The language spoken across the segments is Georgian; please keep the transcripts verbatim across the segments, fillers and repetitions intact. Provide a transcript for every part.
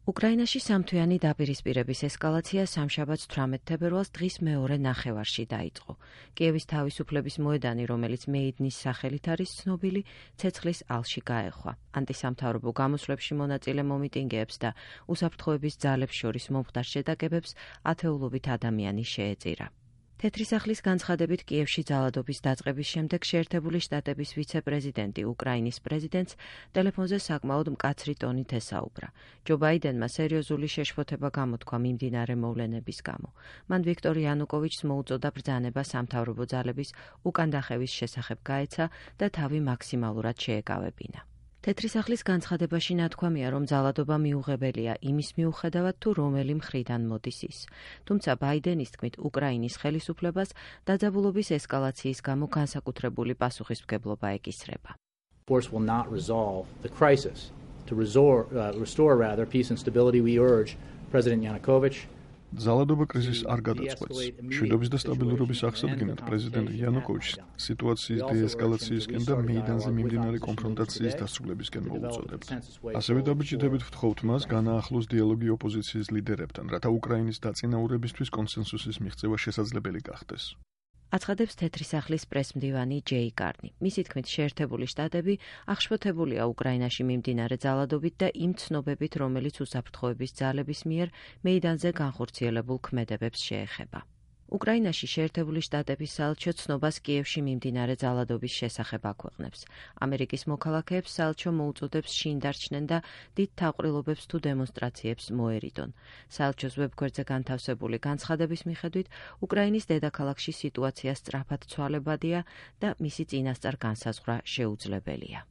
უკრაინაში სამთვიანი დაპირისპირების ესკალაცია სამშაბათს თვრამეტ თებერვალს დღის მეორე ნახევარში დაიწყო. კიევის თავისუფლების მოედანი, რომელიც მეიდნის სახელით არის ცნობილი, ცეცხლის ალში გაეხვა. ანტისამთავრობო გამოსვლებში მონაწილე მომიტინგეებს და უსაფრთხოების ძალებს შორის მომხდარ შეტაკებებს ათეულობით ადამიანი შეეწირა. თეთრი სახლის განცხადებით კიევში ძალადობის დაწყების შემდეგ შეერთებული შტატების ვიცე-პრეზიდენტი უკრაინის პრეზიდენტს ტელეფონზე საკმაოდ მკაცრი ტონით ესაუბრა. ჯო ბაიდენმა სერიოზული შეშფოთება გამოთქვა მიმდინარე მოვლენების გამო. მან ვიქტორ იანუკოვიჩს მოუწოდა ბრძანება სამთავრობო ძალების უკან დახევის შესახებ გაეცა და თავი მაქსიმალურად შეეკავებინა. თეთრი სახლის განცხადებაში ნათქვამია, რომ ძალადობა მიუღებელია იმის მიუხედავად, თუ რომელი მხრიდან მოდის ის. თუმცა ბაიდენის თქმით, უკრაინის ხელისუფლებას დაძაბულობის ესკალაციის გამო განსაკუთრებული პასუხისმგებლობა ეკისრება. Force will not resolve the crisis. To restore, uh, restore rather peace and stability, we urge President Yanukovych ძალადობა კრიზისს არ გადაწყვეტს. მშვიდობის და სტაბილურობის აღსადგენად პრეზიდენტ იანუკოვიჩს სიტუაციის დეესკალაციისკენ და მეიდანზე მიმდინარე კონფრონტაციის დასრულებისკენ მოუწოდებთ. ასევე დაბეჭდებით ვთხოვთ მას განაახლოს დიალოგი ოპოზიციის ლიდერებთან, რათა უკრაინის დაწინაურებისთვის კონსენსუსის მიღწევა შესაძლებელი გახდეს. აცხადებს თეთრი სახლის პრესმდივანი ჯეი კარნი. მისი თქმით, შეერთებული შტატები აღშფოთებულია უკრაინაში მიმდინარე ძალადობით და იმ ცნობებით, რომელიც უსაფრთხოების ძალების მიერ მეიდანზე განხორციელებულ ქმედებებს შეეხება. უკრაინაში შეერთებული შტატების საელჩო ცნობას კიევში მიმდინარე ძალადობის შესახებ აქვეყნებს. ამერიკის მოქალაქეებს საელჩო მოუწოდებს შინ დარჩნენ და დიდ თავყრილობებს თუ დემონსტრაციებს მოერიდონ. საელჩოს ვებგვერდზე განთავსებული განცხადების მიხედვით, უკრაინის დედაქალაქში სიტუაცია სწრაფად ცვალებადია და მისი წინასწარ განსაზღვრა შეუძლებელია.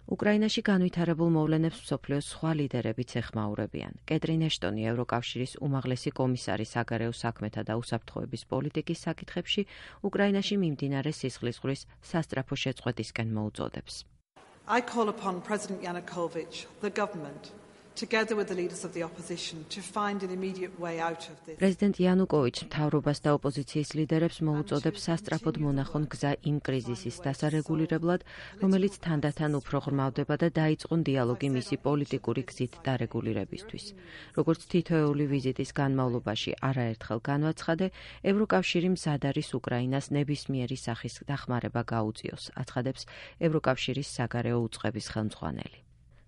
უკრაინაში განვითარებულ მოვლენებს მსოფლიოს სხვა ლიდერებიც ეხმაურებიან. კეტრინ ეშტონი, ევროკავშირის უმაღლესი კომისარი საგარეო საქმეთა და უსაფრთხოების პოლიტიკის საკითხებში, უკრაინაში მიმდინარე სისხლისღვრის სასწრაფო შეწყვეტისკენ მოუწოდებს. I call upon President Yanukovych, the government, together with the leaders of the opposition, to find an immediate way out of this. პრეზიდენტ იანუკოვიჩს მთავრობას და ოპოზიციის ლიდერებს მოუწოდებს სასწრაფოდ მონახონ გზა იმ კრიზისის დასარეგულირებლად, რომელიც თანდათან უფრო ღრმავდება და დაიწყონ დიალოგი მისი პოლიტიკური გზით დარეგულირებისთვის. როგორც თითოეული ვიზიტის განმავლობაში არაერთხელ განვაცხადე, ევროკავშირი მზად არის უკრაინას ნებისმიერი სახის დახმარება გაუწიოს, აცხადებს ევროკავშირის საგარეო უწყების ხელმძღვანელი.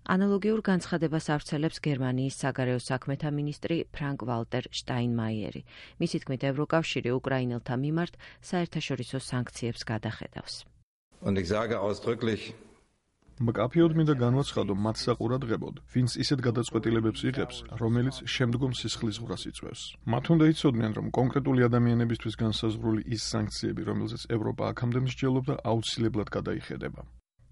ანალოგიურ განცხადებას ავრცელებს გერმანიის საგარეო საქმეთა მინისტრი ფრანკ ვალტერ შტაინმაიერი. მისი თქმით, ევროკავშირი უკრაინელთა მიმართ საერთაშორისო სანქციებს გადახედავს. მკაფიოდ მინდა განვაცხადო მათ საყურადღებოდ, ვინც ისეთ გადაწყვეტილებებს იღებს, რომელიც შემდგომ სისხლისღვრას იწვევს. მათ უნდა იცოდნენ, რომ კონკრეტული ადამიანებისთვის განსაზღვრული ის სანქციები, რომელზეც ევროპა აქამდე მსჯელობდა, აუცილებლად გადაიხედება.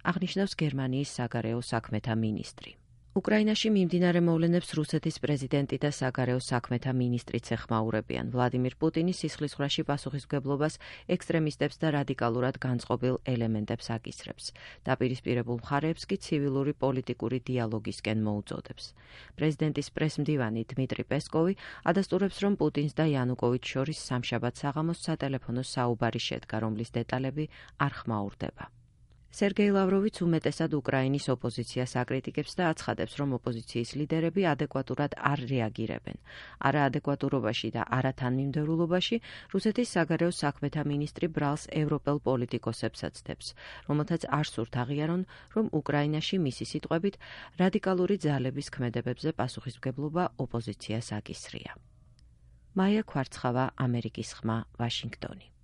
აღნიშნავს გერმანიის საგარეო საქმეთა მინისტრი. უკრაინაში მიმდინარე მოვლენებს რუსეთის პრეზიდენტი და საგარეო საქმეთა მინისტრიც ეხმაურებიან. ვლადიმირ პუტინის სისხლისღვრაში პასუხისმგებლობას ექსტრემისტებს და რადიკალურად განწყობილ ელემენტებს აკისრებს. დაპირისპირებულ მხარეებს კი ცივილური პოლიტიკური დიალოგისკენ მოუწოდებს. პრეზიდენტის პრესმდივანი დმიტრი პესკოვი ადასტურებს, რომ პუტინს და იანუკოვიჩს შორის სამშაბათ საღამოს სატელეფონო საუბარი შედგა, რომლის დეტალები არ ხმაურდება. სერგეი ლავროვიც უმეტესად უკრაინის ოპოზიციას აკრიტიკებს და აცხადებს, რომ ოპოზიციის ლიდერები ადეკვატურად არ რეაგირებენ. არაადეკვატურობაში და არათანმიმდევრულობაში რუსეთის საგარეო საქმეთა მინისტრი ბრალს ევროპელ პოლიტიკოსებსაც დებს, რომელთაც არ სურთ აღიარონ, რომ უკრაინაში მისი სიტყვებით რადიკალური ძალების ქმედებებზე პასუხისმგებლობა ოპოზიციას აკისრია. მაია ქვარცხავა, ამერიკის ხმა, ვაშინგტონი.